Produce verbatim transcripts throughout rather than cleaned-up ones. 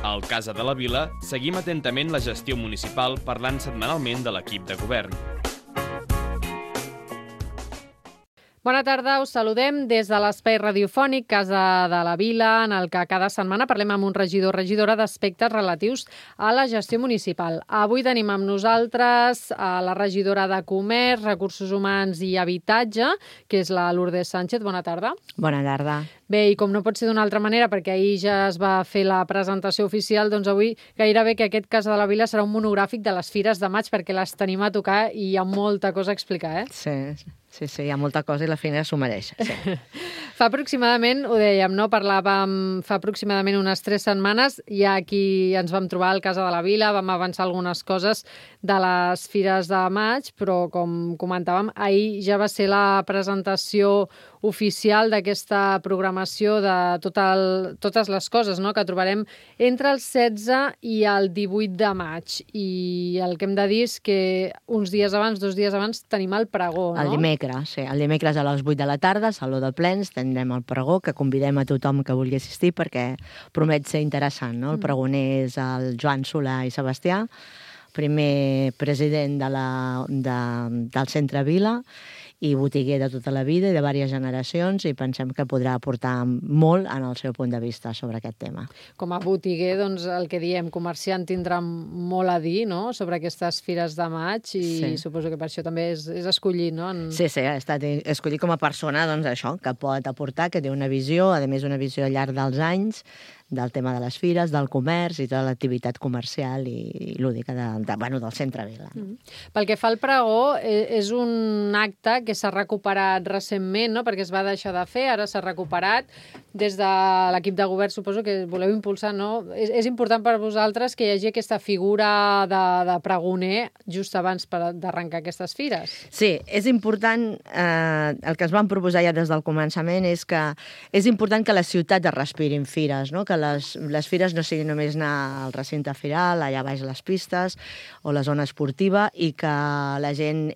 Al Casa de la Vila seguim atentament la gestió municipal parlant setmanalment de l'equip de govern. Bona tarda, us saludem des de l'espai radiofònic Casa de la Vila, en el que cada setmana parlem amb un regidor o regidora d'aspectes relatius a la gestió municipal. Avui tenim amb nosaltres a la regidora de Comerç, Recursos Humans i Habitatge, que és la Lourdes Sánchez. Bona tarda. Bona tarda. Bé, i com no pot ser d'una altra manera, perquè ahir ja es va fer la presentació oficial, doncs avui gairebé que aquest Casa de la Vila serà un monogràfic de les fires de maig, perquè les tenim a tocar i hi ha molta cosa a explicar, eh? Sí, sí, sí, hi ha molta cosa i la feina s'ho mereix. Sí. Fa aproximadament, ho dèiem, no? Parlàvem fa aproximadament unes tres setmanes, i aquí ens vam trobar al Casa de la Vila, vam avançar algunes coses de les fires de maig, però com comentàvem, ahir ja va ser la presentació oficial d'aquesta programació de tot el, totes les coses, no?, que trobarem entre el setze i el divuit de maig. I el que hem de dir és que uns dies abans, dos dies abans, tenim el pregó, no? El dimecres, sí. El dimecres a les vuit de la tarda, al Saló de Plens, tindrem el pregó, que convidem a tothom que vulgui assistir perquè promet ser interessant, no? El pregoner és el Joan Solà i Sebastià, primer president de la, de, del Centre Vila, i botiguer de tota la vida i de diverses generacions, i pensem que podrà aportar molt en el seu punt de vista sobre aquest tema. Com a botiguer, doncs, el que diem, comerciant tindrà molt a dir, no?, sobre aquestes fires de maig, i sí, suposo que per això també és, és escollit, no? En... Sí, sí, ha estat escollit com a persona, doncs, això, que pot aportar, que té una visió, a més una visió al llarg dels anys, del tema de les fires, del comerç i tota l'activitat comercial i lúdica de, de, bueno, del Centre Vila. Mm. Pel que fa al pregó, és un acte que s'ha recuperat recentment, no?, perquè es va deixar de fer, ara s'ha recuperat. Des de l'equip de govern suposo que voleu impulsar, no? És, és important per vosaltres que hi hagi aquesta figura de, de pregoner just abans d'arrencar aquestes fires? Sí, és important, eh, el que es van proposar ja des del començament és que és important que les ciutats es respirin fires, no?, que les, les fires no siguin només anar al recinte firal, allà baix les pistes o la zona esportiva, i que la gent,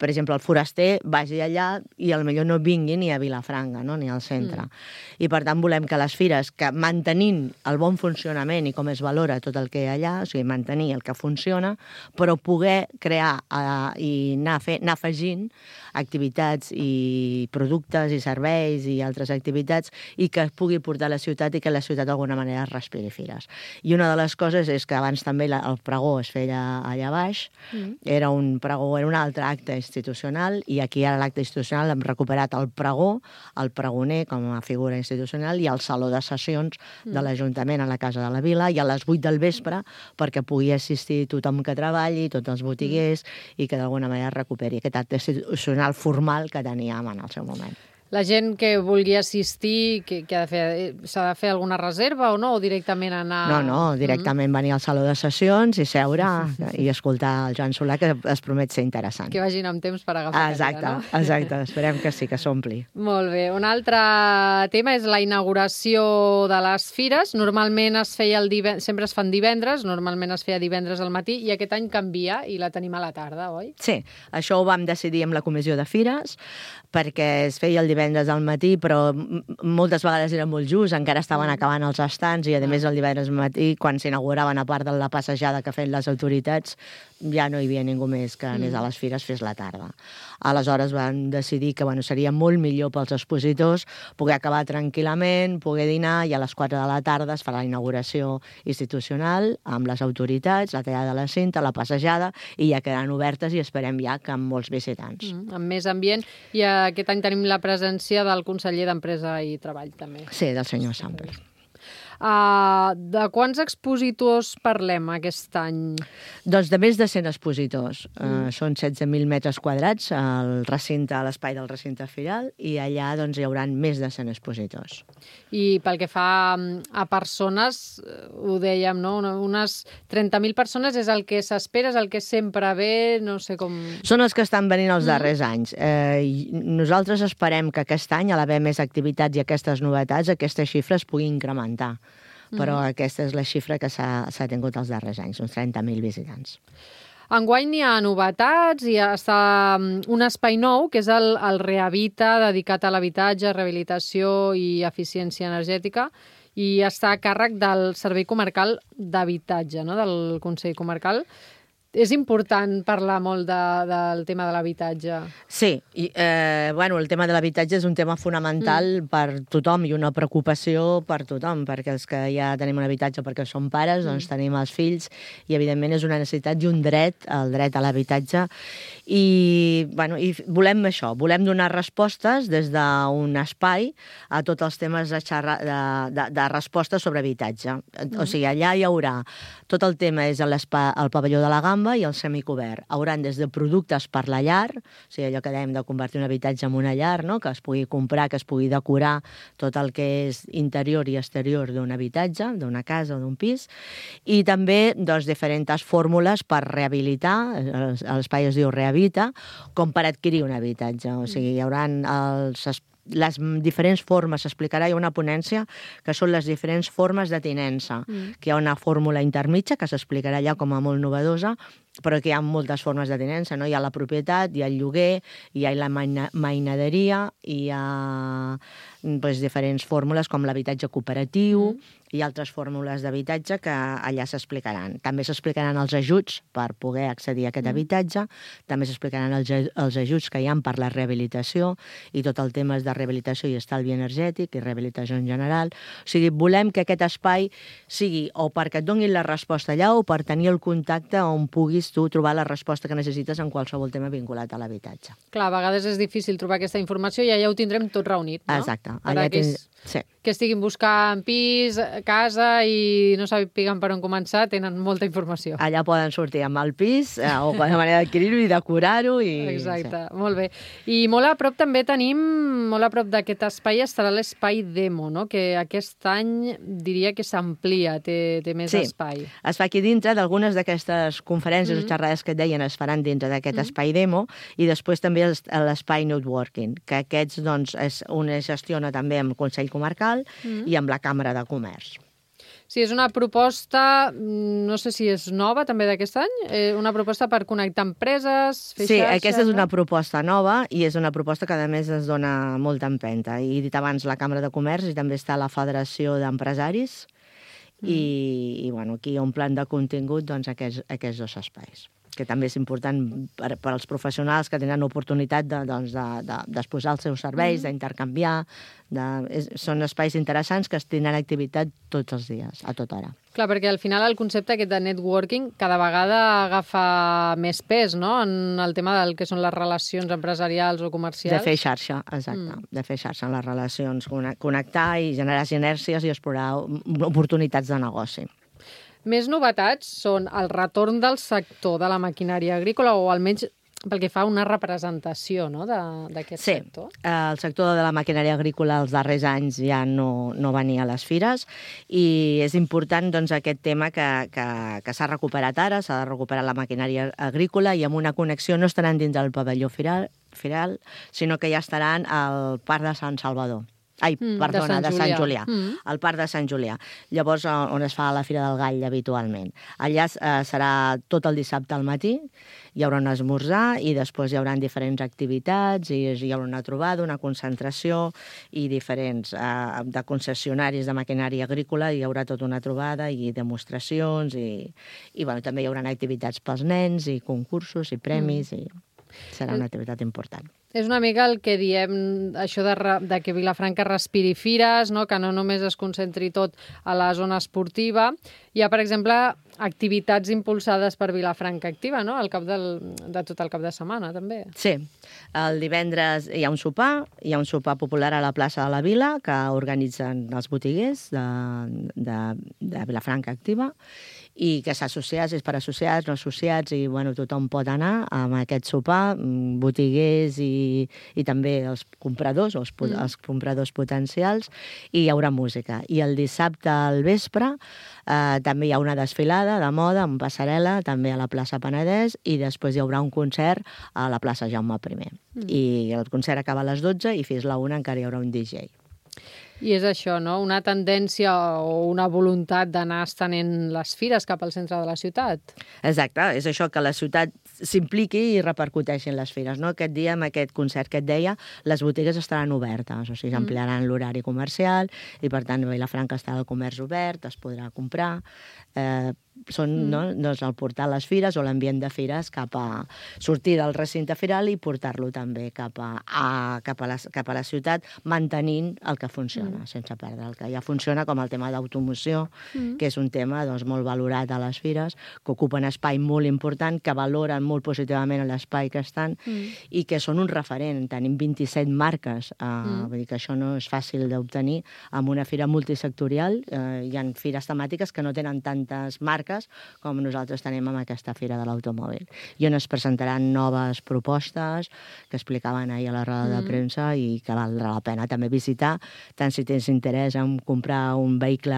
per exemple, el foraster vagi allà i potser no vingui ni a Vilafranca, no?, ni al centre. Mm. I per tant volem que les fires, que mantenint el bon funcionament i com es valora tot el que hi ha allà, o sigui, mantenir el que funciona, però poder crear eh, i anar, fer, anar afegint activitats i productes i serveis i altres activitats, i que es pugui portar a la ciutat i que la ciutat d'alguna manera es respiri fires. I una de les coses és que abans també la, el pregó es feia allà baix, mm. era un pregó, era un altre acte institucional, i aquí ara l'acte institucional hem recuperat el pregó, el pregoner com a figura institucional, i el saló de sessions mm. de l'Ajuntament a la Casa de la Vila, i a les vuit del vespre perquè pugui assistir tothom que treballi, tots els botiguers, mm. i que d'alguna manera recuperi aquest acte institucional formal que teníem en el seu moment. La gent que vulgui assistir, que, que ha de fer, s'ha de fer alguna reserva o no? O directament anar... No, no, directament mm. venir al saló de sessions i seure i escoltar el Joan Solà, que es promet ser interessant. Que vagin amb temps per agafar exacte, cadira, no? Exacte, esperem que sí, que s'ompli. Molt bé. Un altre tema és la inauguració de les fires. Normalment es feia el divendres, sempre es fan divendres, normalment es feia divendres al matí, i aquest any canvia i la tenim a la tarda, oi? Sí, això ho vam decidir amb la comissió de fires, perquè es feia el divendres al matí, però moltes vegades era molt just, encara estaven acabant els estants, i a més el divendres al matí, quan s'inauguraven, a part de la passejada que feien les autoritats, ja no hi havia ningú més que anés a les fires, fes la tarda. Aleshores van decidir que bueno, seria molt millor pels expositors poder acabar tranquil·lament, poder dinar, i a les quatre de la tarda es farà la inauguració institucional amb les autoritats, la tallada de la cinta, la passejada, i ja quedaran obertes i esperem ja que amb molts visitants. Mm, amb més ambient, i aquest any tenim la presència del conseller d'Empresa i Treball, també. Sí, del senyor Samper. Uh, de quants expositors parlem aquest any? Doncs de més de cent expositors. Mm. Uh, són setze mil metres quadrats al recinte, a l'espai del recinte firal, i allà doncs, hi haurà més de cent expositors. I pel que fa a persones, ho dèiem, no? Unes trenta mil persones és el que s'espera, és el que sempre ve, no sé com... Són els que estan venint els darrers mm. anys. Eh, nosaltres esperem que aquest any, a l'haver més activitats i aquestes novetats, aquesta xifra es pugui incrementar. Però mm. aquesta és la xifra que s'ha tingut els darrers anys, uns trenta mil visitants. Enguany hi ha novetats, hi ha està un espai nou, que és el, el Rehabita, dedicat a l'habitatge, rehabilitació i eficiència energètica, i està a càrrec del Servei Comarcal d'Habitatge, no?, del Consell Comarcal. És important parlar molt de, del tema de l'habitatge. Sí, i, eh, bueno, el tema de l'habitatge és un tema fonamental mm. per tothom i una preocupació per tothom, perquè els que ja tenim un habitatge perquè som pares, mm. doncs tenim els fills, i evidentment és una necessitat i un dret, el dret a l'habitatge, i, bueno, i volem això, volem donar respostes des d'un espai a tots els temes de, xerra, de, de, de respostes sobre habitatge. Mm. O sigui, allà hi haurà tot el tema, és el pavelló de la Gamba, i el semicobert. Hauran des de productes per la llar, o sigui, allò que dèiem de convertir un habitatge en una llar, no?, que es pugui comprar, que es pugui decorar tot el que és interior i exterior d'un habitatge, d'una casa o d'un pis, i també doncs, diferents fórmules per rehabilitar, l'espai es diu Rehabita, com per adquirir un habitatge. O sigui, hi haurà els les diferents formes, s'explicarà, hi ha una ponència que són les diferents formes de tinença, mm. que hi ha una fórmula intermitja que s'explicarà allà com a molt novedosa, però que hi ha moltes formes de tinença, no? Hi ha la propietat, hi ha el lloguer, hi ha la mainaderia, hi ha doncs, diferents fórmules com l'habitatge cooperatiu, mm. i altres fórmules d'habitatge que allà s'explicaran. També s'explicaran els ajuts per poder accedir a aquest mm. habitatge, també s'explicaran els, els ajuts que hi ha per la rehabilitació i tot el tema de rehabilitació i estalvi energètic i rehabilitació en general. O sigui, volem que aquest espai sigui o perquè et donin la resposta allà o per tenir el contacte on puguis tu trobar la resposta que necessites en qualsevol tema vinculat a l'habitatge. Clar, a vegades és difícil trobar aquesta informació i allà ho tindrem tot reunit, no? Exacte. Allà tens... sí. Que estiguin buscant pis, casa i no sàpiguen per on començar, tenen molta informació. Allà poden sortir amb el pis eh, o de manera d'adquirir-ho i decorar-ho. I... Exacte, sí. Molt bé. I molt a prop també tenim, molt a prop d'aquest espai estarà l'espai Demo, no?, que aquest any diria que s'amplia, té, té més sí. espai. Es fa aquí dintre d'algunes d'aquestes conferències mm. o xerrades que et deien es faran dintre d'aquest mm. espai Demo, i després també l'espai Networking, que aquests doncs, és un es gestiona també amb el Consell Comarcal Mm. i amb la Càmera de Comerç. Sí, és una proposta, no sé si és nova també d'aquest any, eh, una proposta per connectar empreses, fer sí, xarxa... Sí, aquesta és una proposta nova i és una proposta que a més es dona molta empenta. I he dit abans la Càmera de Comerç i també està la Federació d'Empresaris mm. i, i bueno, aquí hi ha un plan de contingut doncs, aquests, aquests dos espais, que també és important per, per als professionals que tenen oportunitat de, doncs, de, de, d'exposar els seus serveis, mm. d'intercanviar. De, és, són espais interessants que es tindran activitat tots els dies, a tota hora. Clar, perquè al final el concepte aquest de networking cada vegada agafa més pes, no?, en el tema del que són les relacions empresarials o comercials. De fer xarxa, exacte. Mm. De fer xarxa en les relacions, connectar i generar sinergies i explorar oportunitats de negoci. Més novetats són el retorn del sector de la maquinària agrícola, o almenys pel que fa a una representació, no?, d'aquest sí. sector. Sí, el sector de la maquinària agrícola els darrers anys ja no, no venia a les fires i és important doncs, aquest tema que, que, que s'ha recuperat ara, s'ha de recuperar la maquinària agrícola i amb una connexió no estaran dins del pavelló firal, firal sinó que ja estaran al Parc de Sant Salvador. Ai, mm, perdona, de Sant Julià, de Sant Julià mm. al Parc de Sant Julià, llavors on es fa la Fira del Gall habitualment. Allà eh, serà tot el dissabte al matí, hi haurà un esmorzar i després hi haurà diferents activitats i hi haurà una trobada, una concentració i diferents eh, de concessionaris de maquinària agrícola, hi haurà tota una trobada i demostracions i, i bueno, també hi haurà activitats pels nens i concursos i premis mm. i serà una activitat important. És una mica el que diem, això de, de que Vilafranca respiri fires, no?, que no només es concentri tot a la zona esportiva. Hi ha, per exemple, activitats impulsades per Vilafranca Activa, no?, al cap del, de tot el cap de setmana, també. Sí. El divendres hi ha un sopar, hi ha un sopar popular a la plaça de la Vila que organitzen els botiguers de, de, de Vilafranca Activa i que s'associats, és per associats, no associats, i bueno, tothom pot anar a aquest sopar, botiguers i, i també els compradors, els, mm. els compradors potencials, i hi haurà música. I el dissabte al vespre eh, també hi ha una desfilada de moda amb passarel·la, també a la plaça Penedès, i després hi haurà un concert a la plaça Jaume I. Mm. I el concert acaba a les dotze i fins la una encara hi haurà un D J. I és això, no? Una tendència o una voluntat d'anar estenent les fires cap al centre de la ciutat. Exacte, és això, que la ciutat s'impliqui i repercuteixi en les fires. No? Aquest dia, amb aquest concert que et deia, les botigues estaran obertes, o sigui, s'ampliaran l'horari comercial i, per tant, a Vilafranca estarà el comerç obert, es podrà comprar. Eh, són mm. no, doncs el portar les fires o l'ambient de fires cap a sortir del recinte firal i portar-lo també cap a, a, cap, a la, cap a la ciutat, mantenint el que funciona, mm. sense perdre el que ja funciona, com el tema d'automoció, mm. que és un tema doncs, molt valorat a les fires, que ocupen espai molt important, que valoren molt positivament l'espai que estan mm. i que són un referent. Tenim vint-i-set marques, eh, mm. vull dir que això no és fàcil d'obtenir amb una fira multisectorial. Eh, hi ha fires temàtiques que no tenen tantes marques com nosaltres tenim amb aquesta Fira de l'Automòbil, i on es presentaran noves propostes que explicaven ahir a la roda mm. de premsa i que valdrà la pena també visitar, tant si tens interès en comprar un vehicle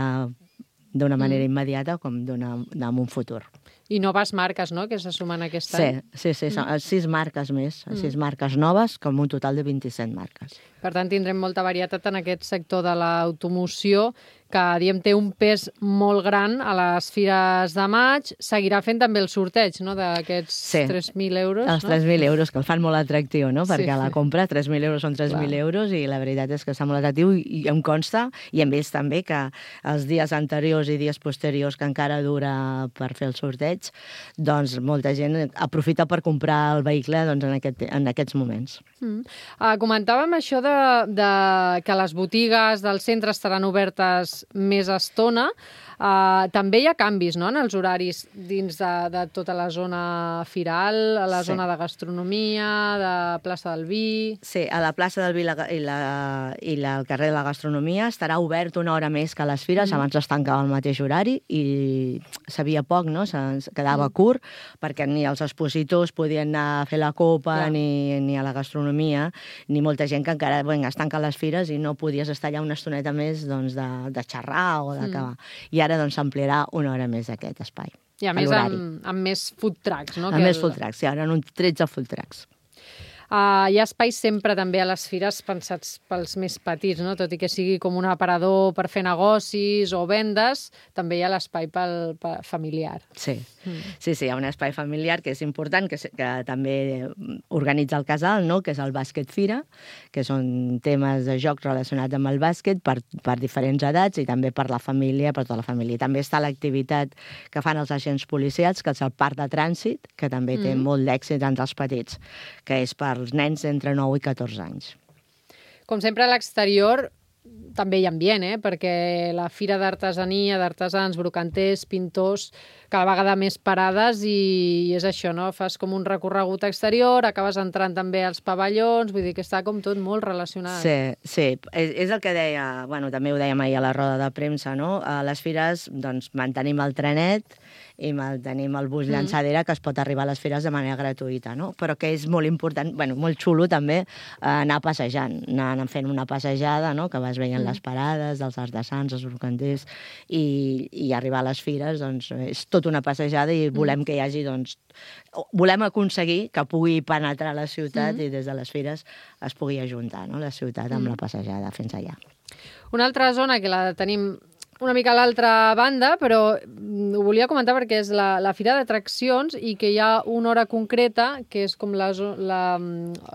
d'una manera mm. immediata com en un futur. I noves marques, no?, que se sumen aquest sí, any. Sí, sí, són mm. sis marques més, mm. sis marques noves, com un total de vint-i-set marques. Per tant, tindrem molta varietat en aquest sector de l'automoció, que, diem, té un pes molt gran a les fires de maig. Seguirà fent també el sorteig, no?, d'aquests sí. tres mil euros. Els no? tres mil euros, que el fan molt atractiu, no?, perquè sí. a la compra tres mil euros són tres mil euros i la veritat és que està molt atractiu i em consta, i hem vist també que els dies anteriors i dies posteriors que encara dura per fer el sorteig, doncs molta gent aprofita per comprar el vehicle doncs, en, aquest, en aquests moments. Mm. Uh, comentàvem això de, de que les botigues del centre estaran obertes més estona. Uh, també hi ha canvis, no?, en els horaris dins de, de tota la zona firal, a la sí. zona de gastronomia, de plaça del Vi... Sí, a la plaça del Vi la, i, la, i la, el carrer de la gastronomia estarà obert una hora més que les fires, mm. abans es tancava al mateix horari i sabia poc, no?, se'ns quedava mm. curt, perquè ni els expositors podien anar a fer la copa, yeah. ni, ni a la gastronomia, ni molta gent que encara bueno, es tanquen les fires i no podies estar allà una estoneta més doncs, de, de xerrar o d'acabar. Mm. I ara doncs s'ampliarà una hora més aquest espai. I a més amb, amb més food trucks, no? Amb més el... food trucks, sí, ara en un tretze food trucks. Uh, hi ha espais sempre també a les fires pensats pels més petits, no? Tot i que sigui com un aparador per fer negocis o vendes, també hi ha l'espai pel, pel familiar. Sí. Mm. sí, sí, hi ha un espai familiar que és important, que, que també organitza el casal, no? Que és el bàsquet fira, que són temes de jocs relacionats amb el bàsquet per, per diferents edats i també per la família, per tota la família. També està l'activitat que fan els agents policials, que és el parc de trànsit, que també mm. té molt d'èxit entre els petits, que és per els nens entre nou i catorze anys. Com sempre, a l'exterior també hi ha ambient, eh? Perquè la fira d'artesania, d'artesans, brocanters, pintors, cada vegada més parades i és això, no? Fas com un recorregut exterior, acabes entrant també als pavellons, vull dir que està com tot molt relacionat. Sí, sí, és, és el que deia, bueno, també ho dèiem ahir a la roda de premsa, no? A les fires, doncs, mantenim el trenet i tenim el bus llançadera que es pot arribar a les fires de manera gratuïta, no? Però que és molt important, bueno, molt xulo també anar passejant, anar fent una passejada, no? Que vas veient mm. les parades dels artesans, els brocanters, i, i arribar a les fires, doncs, és tot una passejada i volem mm. que hi hagi, doncs, volem aconseguir que pugui penetrar a la ciutat mm. i des de les fires es pugui ajuntar, no? La ciutat amb mm. la passejada fins allà. Una altra zona que la tenim una mica a l'altra banda, però ho volia comentar perquè és la, la fira d'atraccions i que hi ha una hora concreta que és com la, la,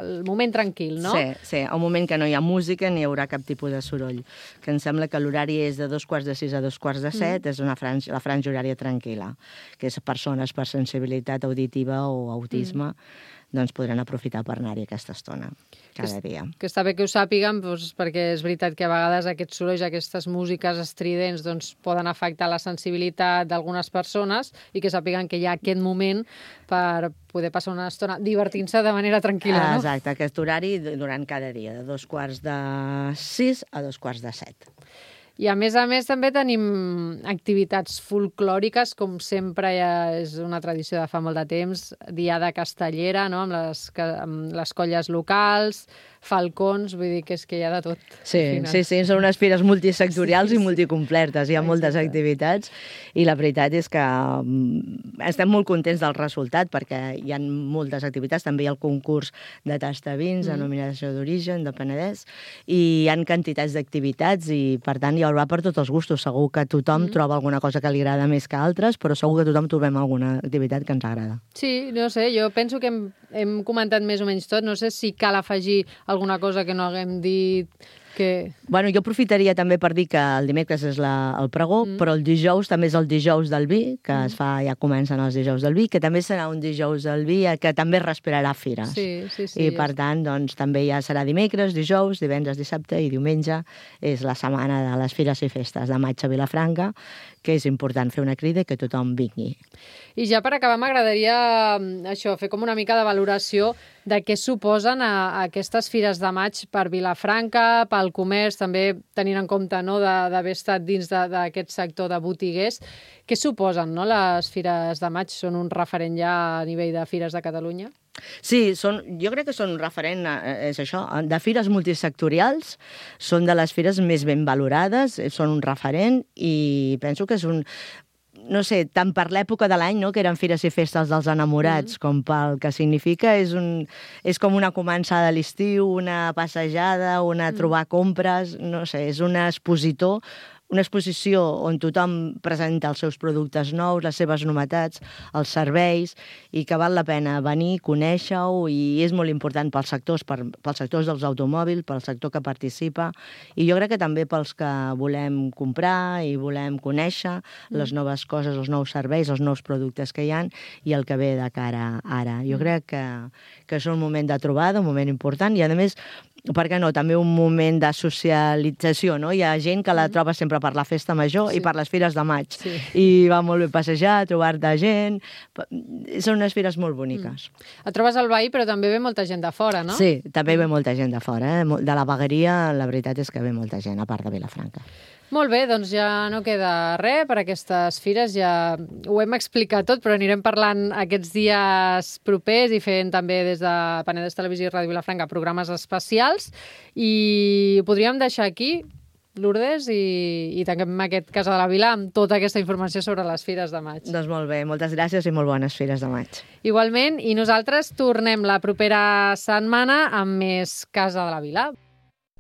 el moment tranquil, no? Sí, sí, un moment que no hi ha música ni hi haurà cap tipus de soroll. Que em sembla que l'horari és de dos quarts de sis a dos quarts de set, mm. és una franja, la franja horària tranquil·la, que és persones per sensibilitat auditiva o autisme, mm. doncs podran aprofitar per anar-hi aquesta estona, cada dia. Que està bé que ho sàpiguen, doncs, perquè és veritat que a vegades aquests sorolls, aquestes músiques estridents, doncs, poden afectar la sensibilitat d'algunes persones i que sàpiguen que hi ha aquest moment per poder passar una estona divertint-se de manera tranquil·la, no? Exacte, aquest horari durant cada dia, de dos quarts de sis a dos quarts de set. I a més a més també tenim activitats folclòriques, com sempre ja és una tradició de fa molt de temps, diada castellera, no? amb, les, amb les colles locals, falcons, vull dir que és que hi ha de tot. Sí, sí, sí, són unes fires multisectorials sí, sí. i multicompletes, hi ha Exacte. moltes activitats i la veritat és que estem molt contents del resultat perquè hi ha moltes activitats, també hi ha el concurs de tasta vins, mm. denominació d'origen, de Penedès, i hi ha quantitats d'activitats i per tant hi haurà per tots els gustos, segur que tothom mm. troba alguna cosa que li agrada més que altres, però segur que tothom trobem alguna activitat que ens agrada. Sí, no sé, jo penso que hem, hem comentat més o menys tot, no sé si cal afegir alguna cosa que no haguem dit que... Bueno, jo aprofitaria també per dir que el dimecres és la, el pregó, mm. però el dijous també és el dijous del vi, que mm. es fa, ja comencen els dijous del vi, que també serà un dijous del vi que també respirarà fires. Sí, sí, sí. I per tant, doncs, també ja serà dimecres, dijous, divendres, dissabte i diumenge. És la setmana de les fires i festes de maig a Vilafranca, que és important fer una crida i que tothom vingui. I ja per acabar m'agradaria això, fer com una mica de valoració de què suposen a, a aquestes fires de maig per Vilafranca, pel comerç, també tenint en compte no, d'haver estat dins d'aquest sector de botiguers. Què suposen no, les fires de maig? Són un referent ja a nivell de fires de Catalunya? Sí, són, jo crec que són un referent, és això, de fires multisectorials, són de les fires més ben valorades, són un referent i penso que és un... no sé, tant per l'època de l'any, no?, que eren fires i festes dels enamorats, mm. com pel que significa, és, un, és com una començada a l'estiu, una passejada, una mm. trobar compres, no sé, és un expositor, una exposició on tothom presenta els seus productes nous, les seves novetats, els serveis, i que val la pena venir, conèixer-ho, i és molt important pels sectors, per, pels sectors dels automòbils, pel sector que participa, i jo crec que també pels que volem comprar i volem conèixer mm. les noves coses, els nous serveis, els nous productes que hi ha, i el que ve de cara ara. Jo mm. crec que, que és un moment de trobada, un moment important, i a més, per què no, també un moment de socialització, no? Hi ha gent que la troba sempre per la festa major sí. i per les fires de maig. Sí. I va molt bé passejar, trobar-te gent... Són unes fires molt boniques. Mm. Et trobes al veí, però també ve molta gent de fora, no? Sí, també ve molta gent de fora. Eh? De la vegueria, la veritat és que ve molta gent, a part de Vilafranca. Molt bé, doncs ja no queda res per aquestes fires, ja ho hem explicat tot, però anirem parlant aquests dies propers i fent també des de Penedès Televisió i Ràdio Vilafranca programes especials i ho podríem deixar aquí, Lourdes, i, i tanquem aquest Casa de la Vila amb tota aquesta informació sobre les fires de maig. Doncs molt bé, moltes gràcies i molt bones fires de maig. Igualment, i nosaltres tornem la propera setmana amb més Casa de la Vila.